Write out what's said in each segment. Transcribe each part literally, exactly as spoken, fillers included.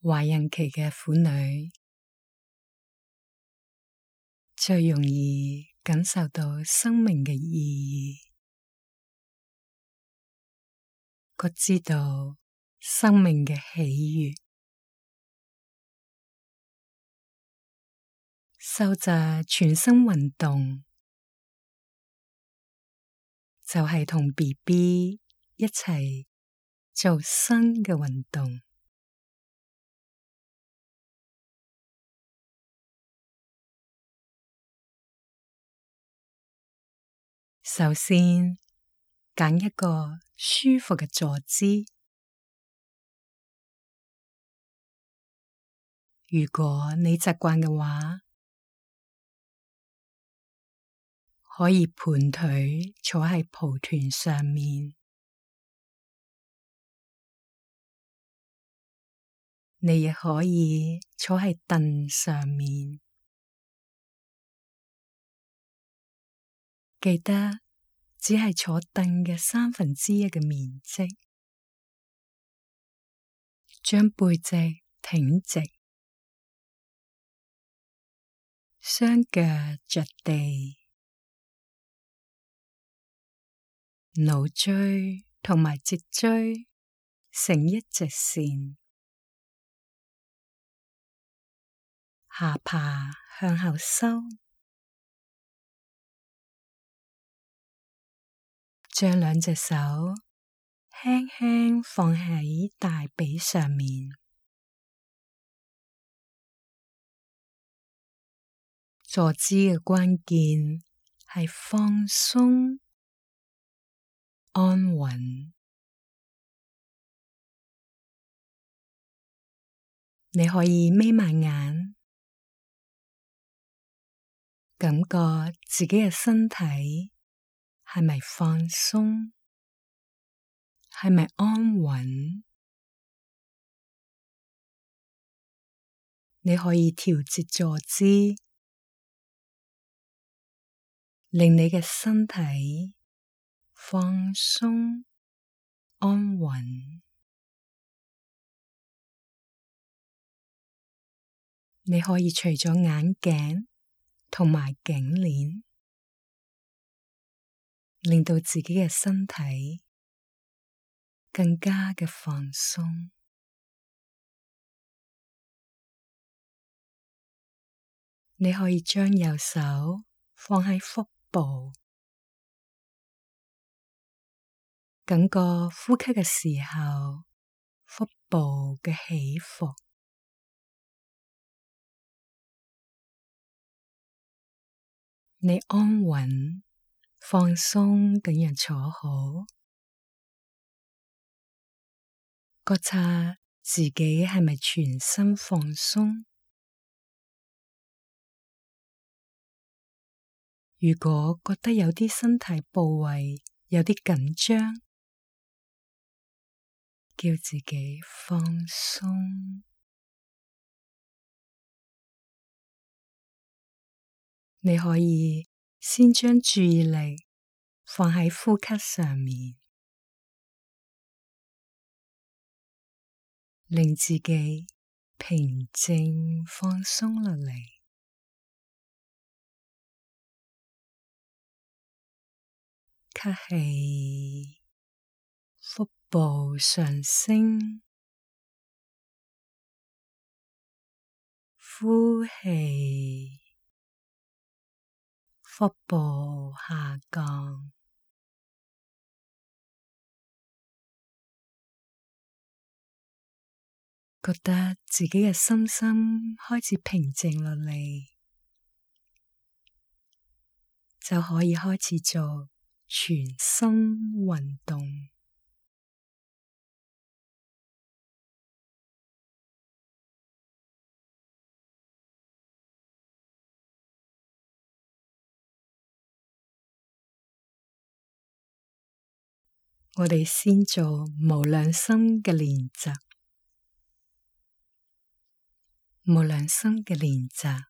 懷孕期嘅婦女最容易感受到生命嘅意義，覺知道生命嘅喜悅，受着全身運動，就係同 B B 一齊做新嘅運動。首先，揀一個舒服嘅坐姿。如果你習慣嘅話，可以盤腿坐喺蒲團上面。你亦可以坐喺凳上面。記得只係坐凳嘅三分之一嘅面積，將背脊挺直，雙腳着地，腦椎同埋脊椎成一直線，下巴向後收，將兩隻手輕輕放喺大髀上面。坐姿嘅關鍵係放鬆、安穩。你可以眯埋眼，感覺自己嘅身體係咪放鬆，係咪安穩？你可以調節坐姿，令你嘅身體放鬆、安穩。你可以除咗眼鏡同埋頸鏈，令到自己嘅身體更加嘅放鬆。你可以將右手放喺腹部，感覺呼吸嘅時候，腹部嘅起伏。你安穩、放鬆咁樣坐好，覺察自己係咪全身放鬆。如果覺得有啲身體部位有啲緊張，叫自己放鬆。你可以先將注意力放喺呼吸上面，令自己平靜放鬆落嚟。吸氣，腹部上升，呼氣，腹部下降。覺得自己嘅身心開始平靜落嚟，就可以開始做全身運動。我哋先做無量心嘅練習。無量心嘅練習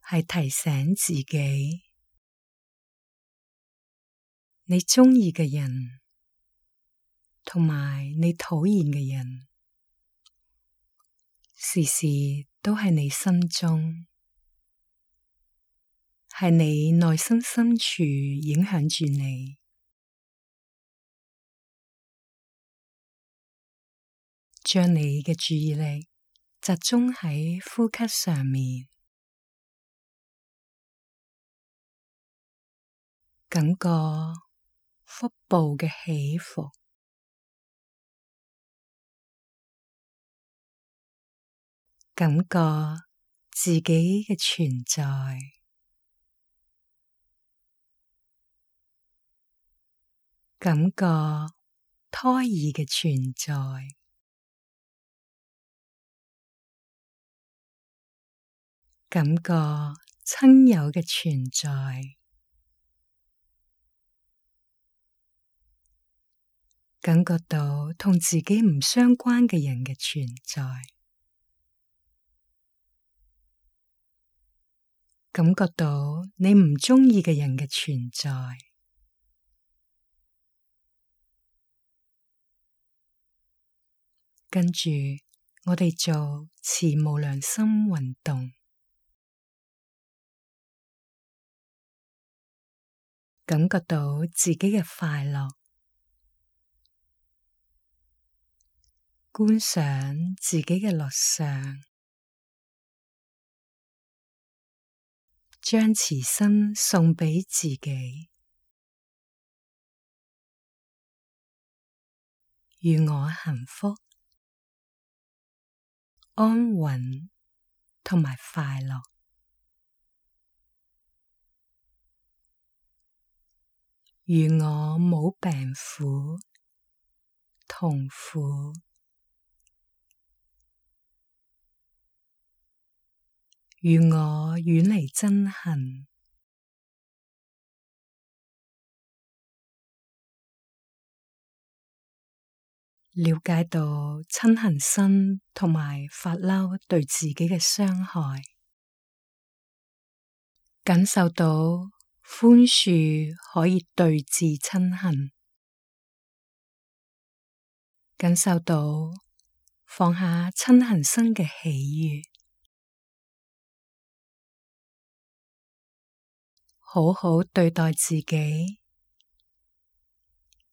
係提醒自己，你鍾意嘅人同埋你討厭嘅人時時都喺你心中，係你內心深處影響住你，將你嘅注意力集中喺呼吸上面，感覺腹部嘅起伏，感覺自己嘅存在，感覺胎兒嘅存在，感覺親友嘅存在，感覺到同自己唔相關嘅人嘅存在，感覺到你唔鍾意嘅人嘅存在。跟住我哋做慈無量心運動，感覺到自己嘅快樂，觀賞自己嘅樂相，將慈心送畀自己，願我幸福、安穩同埋快樂，願我冇病苦、痛苦，願我遠離憎恨，了解到嗔恨心同埋發嬲對自己嘅傷害，感受到寬恕可以對治嗔恨，感受到放下嗔恨心嘅喜悅，好好對待自己，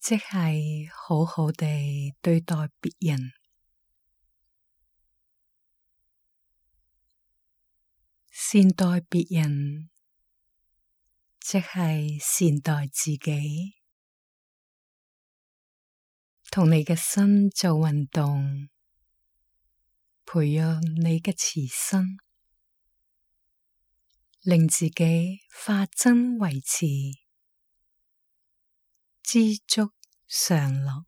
即係好好地對待別人，善待別人，即係善待自己，同你嘅心做運動，培養你嘅慈心，令自己化憎為慈，知足常樂，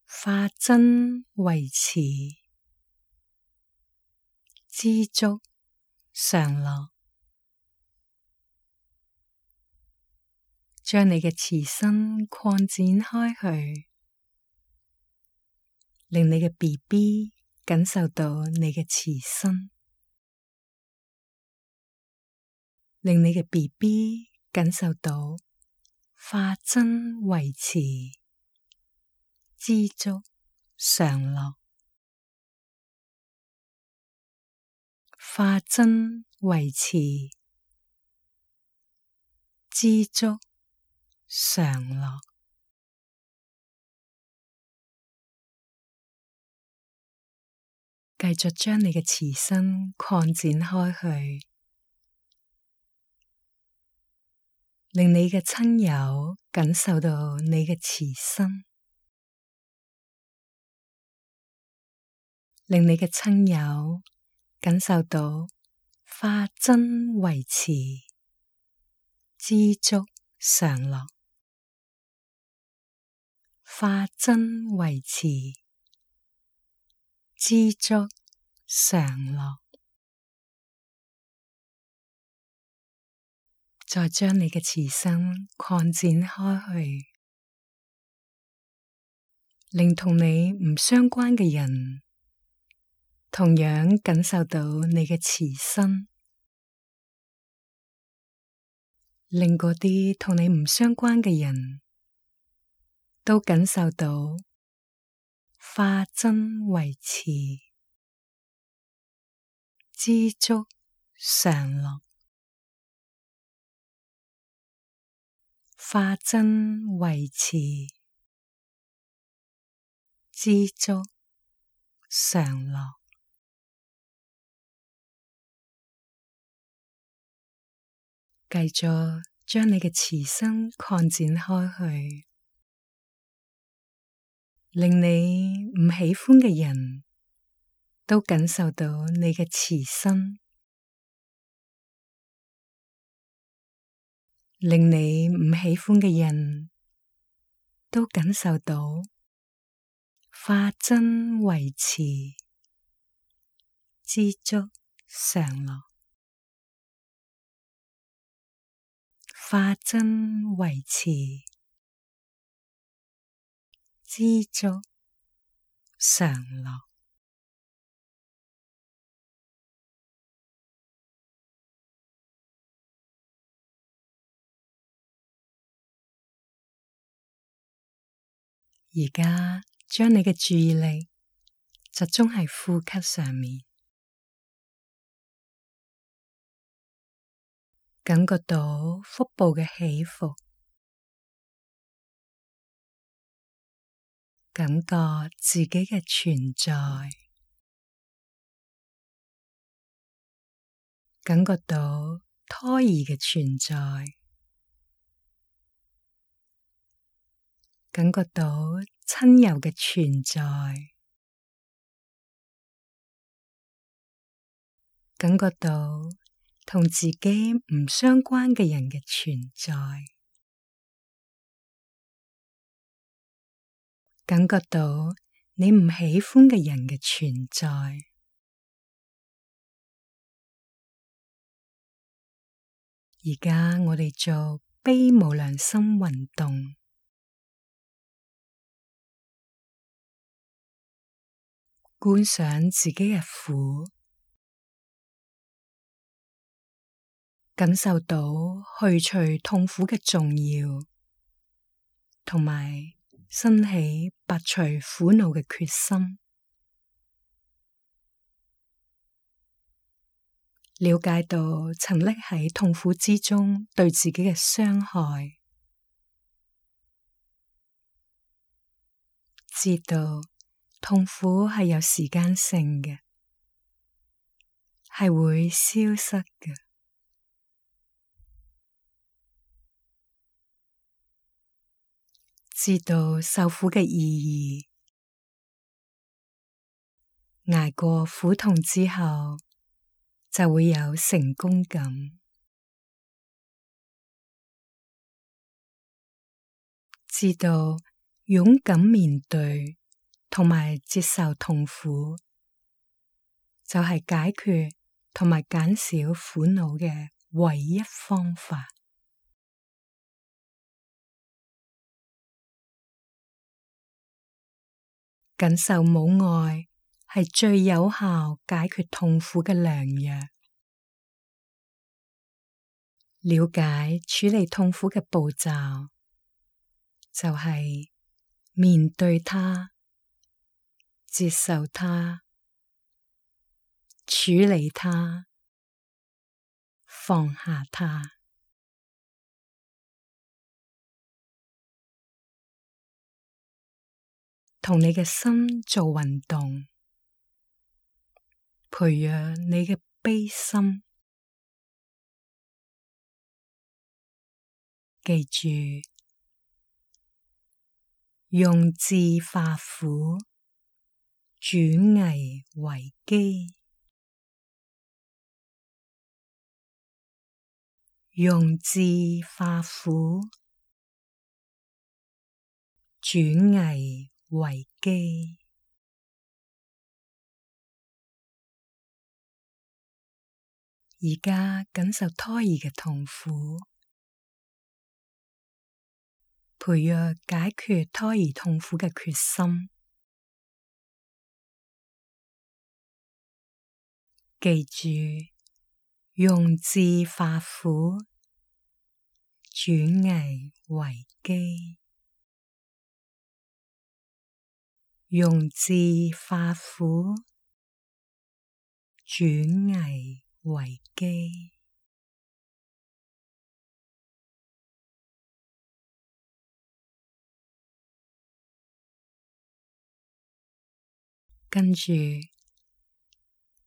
化憎為慈，知足常樂，將你嘅慈心擴展開去，令你嘅 B B 感受到你嘅慈心，令你嘅 B B 感受到化憎為慈，知足常樂，化憎為慈，知足常樂。繼續將你嘅慈心擴展開去，令你嘅親友感受到你嘅慈心，令你嘅親友感受到化憎為慈，知足常樂，化憎為慈，知足常樂。再將你嘅慈心擴展開去，令同你唔相關嘅人同樣感受到你嘅慈心，令嗰啲同你唔相關嘅人都感受到化真為慈，知足常樂。化真為慈，知足常樂。繼續將你嘅慈心擴展開去，令你唔喜歡嘅人都感受到你嘅慈心，令你唔喜歡嘅人都感受到化真為慈，知足常樂。化真為慈，知足常樂。而家將你嘅注意力集中喺呼吸上面，感覺到腹部嘅起伏，感覺自己嘅存在，感覺到胎兒嘅存在，感覺到親友嘅存在，感覺到同自己唔相關嘅人嘅存在，感覺到你唔喜歡嘅人嘅存在。而家我哋做悲無量心運動，觀想自己嘅苦，感受到去除痛苦嘅重要，同埋升起拔除苦惱嘅決心，了解到沉溺喺痛苦之中對自己嘅傷害，知道痛苦係有時間性嘅，係會消失嘅。知道受苦嘅意義，捱過苦痛之後就會有成功感。知道勇敢面對同埋接受痛苦，就係解決同埋減少苦惱嘅唯一方法。感受母愛係最有效解決痛苦嘅良藥。了解處理痛苦嘅步驟，就係面對它、接受它、處理它、放下它。同你嘅心做運動，培養你嘅悲心。記住，用智化苦，轉危為機。用智化苦，轉危為機。而家感受胎兒嘅痛苦，培養解決胎兒痛苦嘅決心。記住，用智化苦，轉危為機。用智化苦，轉危為機。跟住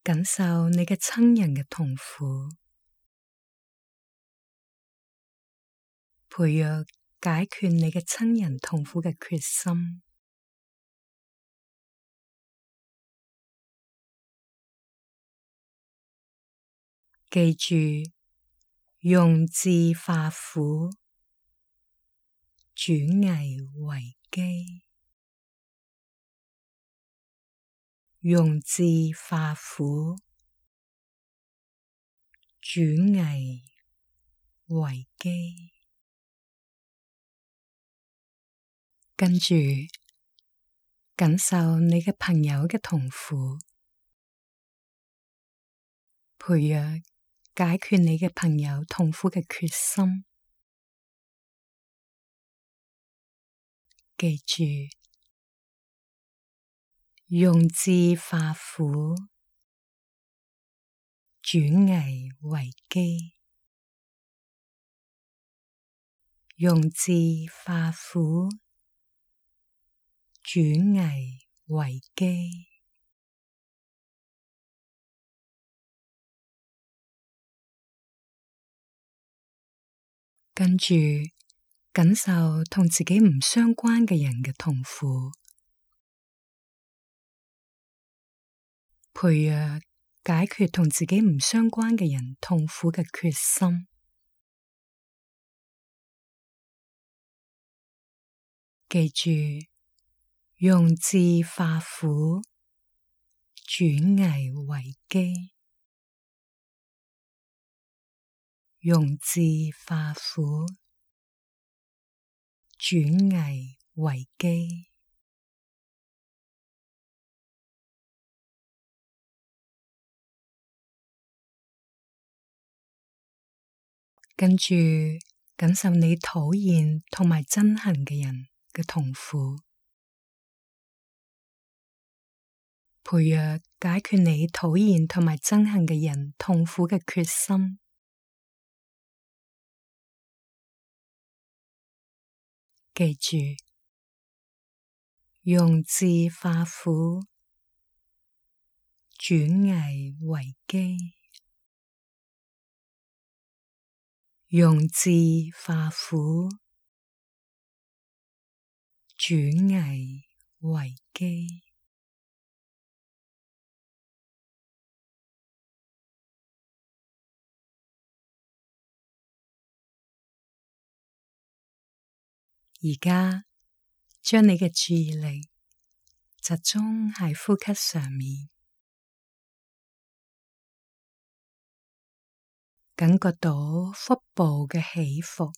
感受你嘅親人嘅痛苦，培養解決你嘅親人痛苦嘅決心。記住，用智化苦，轉危為機。用智化苦，轉危為機。跟住感受你嘅朋友嘅痛苦，培養解決你嘅朋友痛苦嘅決心。記住，用智化苦，轉危為機。用智化苦，轉危為機。跟住感受同自己唔相關嘅人嘅痛苦，培養解決同自己唔相關嘅人痛苦嘅決心。記住，用智化苦，轉危為機。用智化苦，轉危為機。跟住感受你討厭同埋憎恨嘅人嘅痛苦，培養解決你討厭同埋憎恨嘅人痛苦嘅決心。記住，用智化苦，轉危為機。用智化苦，轉危為機。而家將你嘅注意力集中喺呼吸上面，感覺到腹部嘅起伏，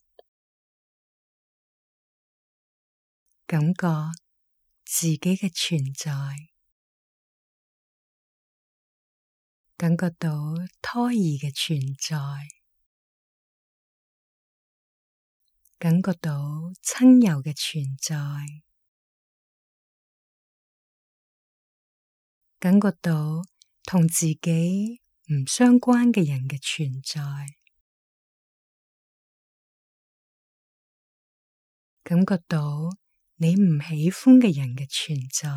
感覺自己嘅存在，感覺到胎兒嘅存在，感覺到親友嘅存在，感覺到同自己唔相關嘅人嘅存在，感覺到你唔喜歡嘅人嘅存在。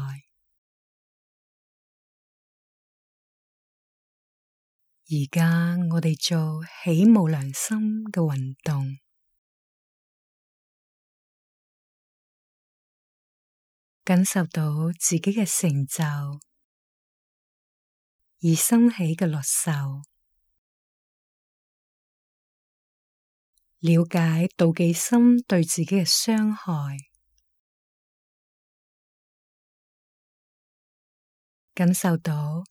而家我哋做起無量心嘅運動，感受到自己嘅成就而生起嘅樂受，了解妒忌心對自己嘅傷害，感受到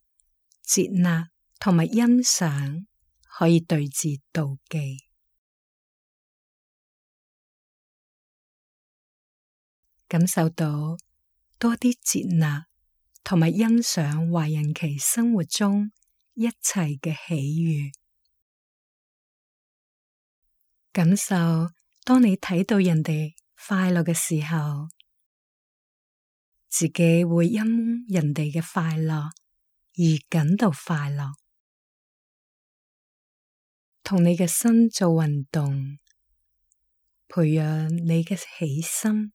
接納同埋欣賞可以對治妒忌，感受到多啲接納同埋欣賞華人期生活中一切嘅喜悅，感受當你睇到人哋快樂嘅時候，自己會因人哋嘅快樂而感到快樂。同你嘅心做運動，培養你嘅喜心。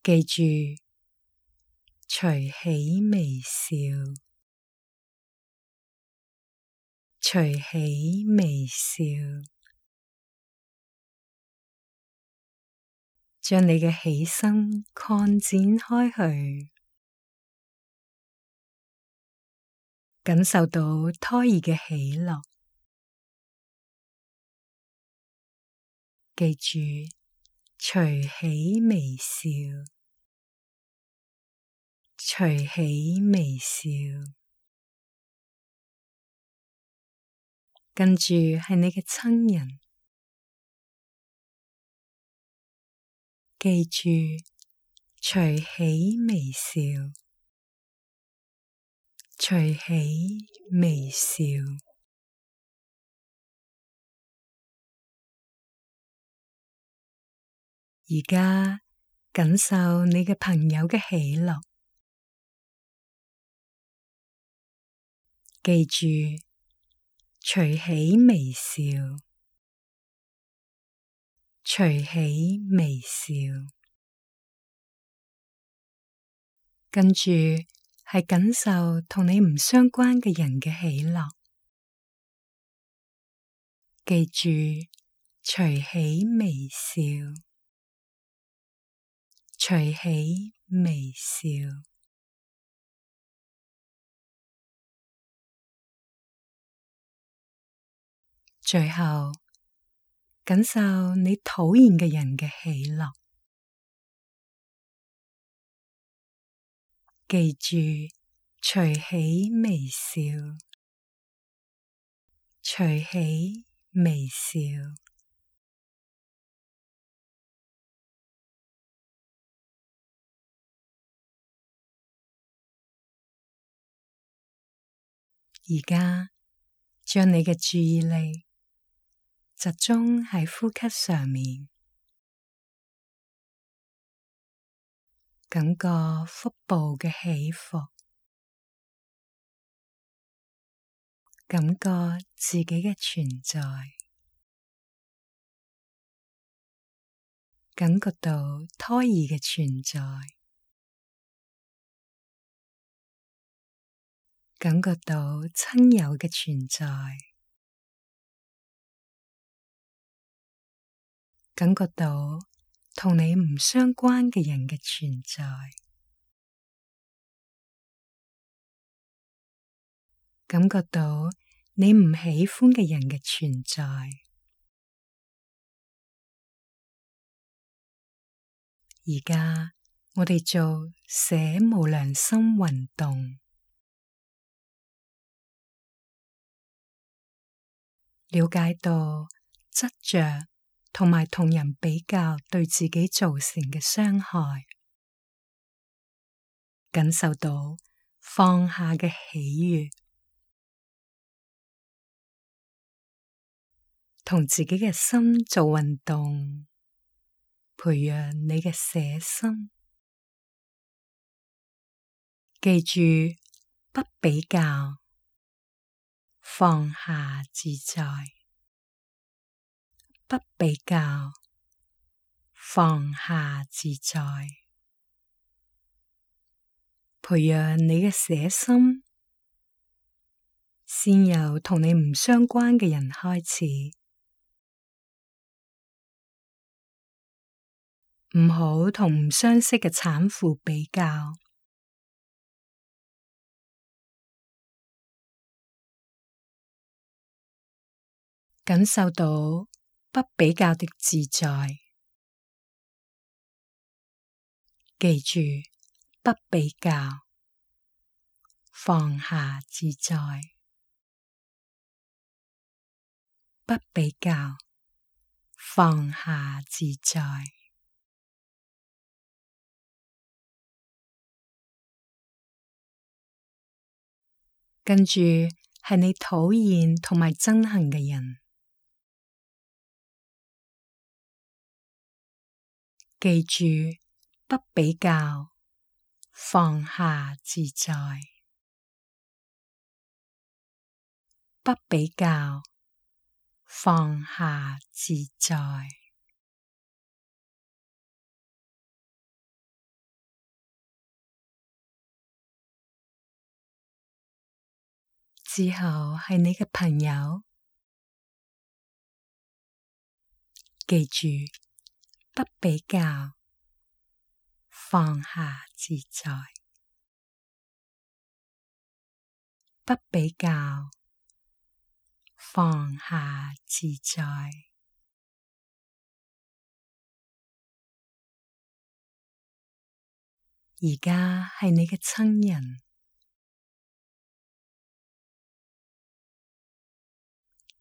記住，隨喜微笑，隨喜微笑，將你嘅喜心擴展開去，感受到胎兒嘅喜樂。記住，隨喜微笑，隨喜微笑，跟住係你嘅親人。記住，隨喜微笑，隨喜微笑。而家感受你嘅朋友嘅喜樂。記住，隨喜微笑，隨喜微笑。跟住係感受同你唔相關嘅人嘅喜樂。記住，隨喜微笑，隨喜微笑。最後，感受你討厭嘅人嘅喜樂。記住，隨喜微笑，隨喜微笑。而家將你嘅注意力集中喺呼吸上面，感覺腹部嘅起伏，感覺自己嘅存在，感覺到胎兒嘅存在，感覺到親友嘅存在，感覺到同你唔相關嘅人嘅存在，感覺到你唔喜歡嘅人嘅存在。而家我哋做捨無良心運動，了解到執着同埋同人比較對自己造成嘅傷害，感受到放下嘅喜悅，同自己嘅心做運動，培養你嘅捨心。記住，不比較，放下自在。不比較，放下自在。培養你嘅捨心，先由同你唔相關嘅人開始。唔好同唔相識嘅產婦比較。感受到不比較的自在。記住，不比較，放下自在。不比較，放下自在。跟住係你討厭同埋憎恨嘅人。記住，不比較，放下自在。不比較，放下自在。之後係你嘅朋友，記住，不比較，放下自在。不比較，放下自在。而家係你嘅親人，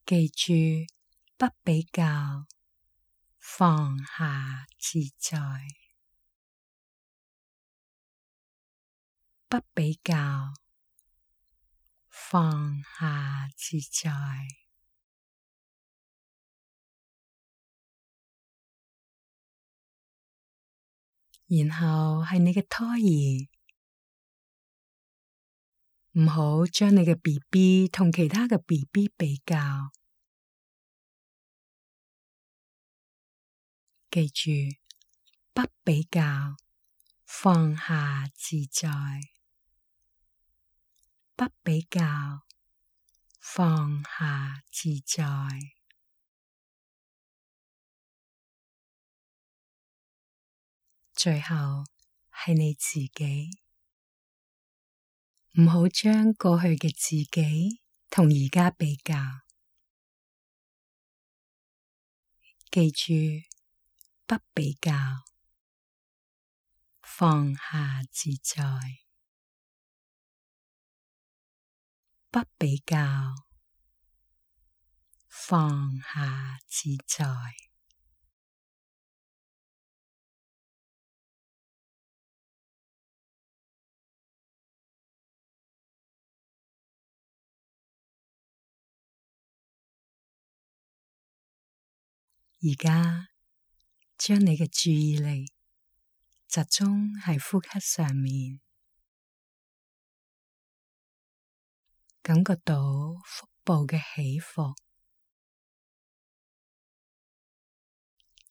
記住，不比較，放下自在。不比較，放下自在。然後係你嘅胎兒，唔好將你嘅 B B 同其他嘅 B B 比較。記住，不比較，放下自在。不比較，放下自在。最後係你自己，唔好將過去嘅自己同而家比較。記住，不比較，放下自在。不比較，放下自在。而家將你嘅注意力集中喺呼吸上面，感覺到腹部嘅起伏，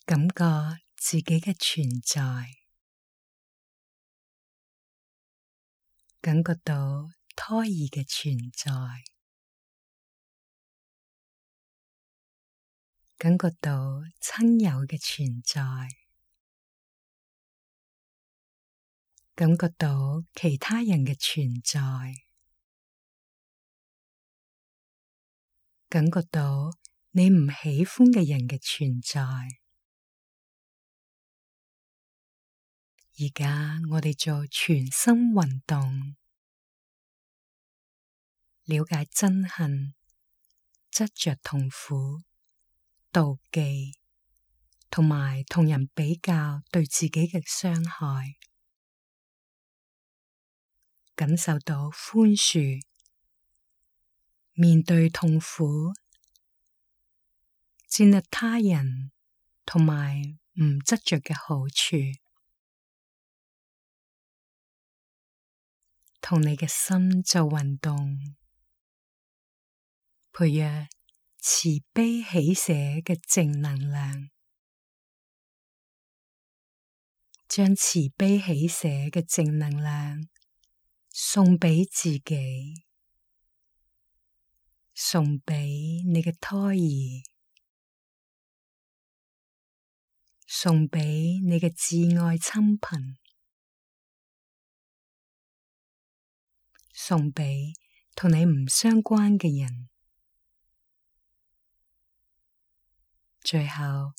感覺自己嘅存在，感覺到胎兒嘅存在，感覺到親友嘅存在，感覺到其他人嘅存在，感覺到你唔喜歡嘅人嘅存在。而家我哋做全身運動，了解憎恨、執着痛苦、妒忌，同埋同人比較對自己嘅傷害，感受到寬恕，面對痛苦，接納他人，同埋唔執着嘅好處，同你嘅心做運動，培養慈悲喜捨嘅正能量，將慈悲喜捨嘅正能量送畀自己，送畀你嘅胎兒，送畀你嘅摯愛親朋，送畀同你唔相關嘅人，最後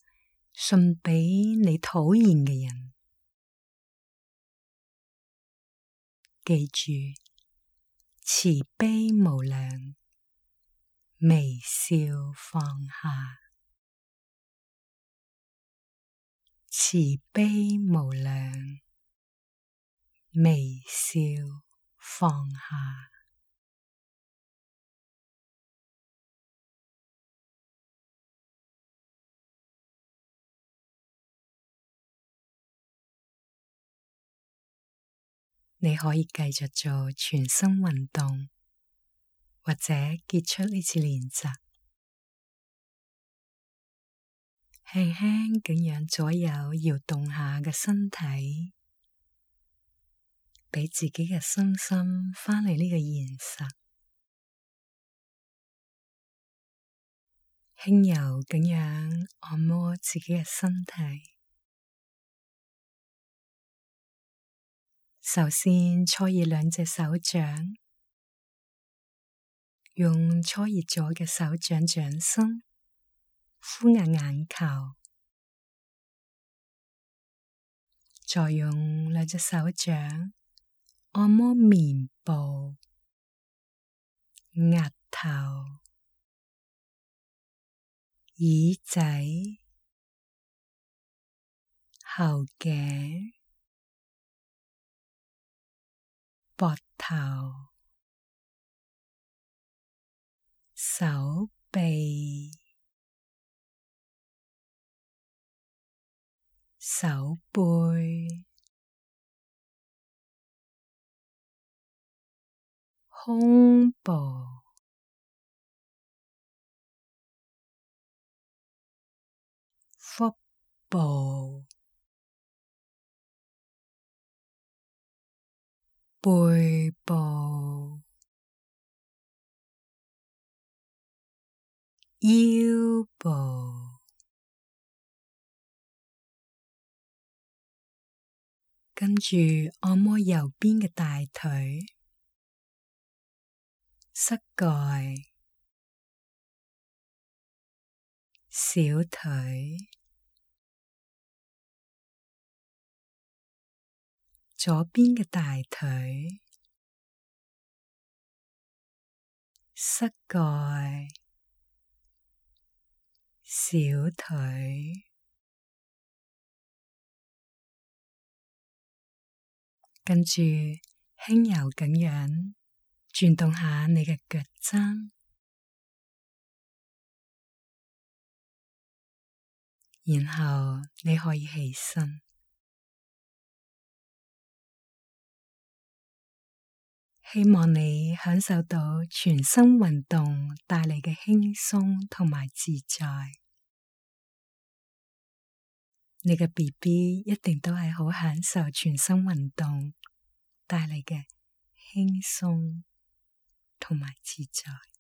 送畀你討厭嘅人。記住，慈悲無量，微笑放下。慈悲無量，微笑放下。你可以繼續做全身運動，或者結束呢次練習。輕輕咁樣左右搖動下嘅身體，畀自己嘅身心返嚟呢個現實。輕柔咁樣按摩自己嘅身體。首先搓熱兩隻手掌，用搓熱咗嘅手掌掌心敷壓眼球，再用兩隻手掌按摩面部、額頭、耳仔、後頸、膊頭、手臂、手背、胸部、腹部、背部、腰部，跟住按摩右邊嘅大腿、膝蓋、小腿、左邊嘅大腿、膝蓋、小腿，跟住輕柔咁樣轉動下你嘅腳踭，然後你可以起身。希望你享受到全身運動帶嚟嘅輕鬆同埋自在。你嘅 B B 一定都係好享受全身運動帶嚟嘅輕鬆同埋自在。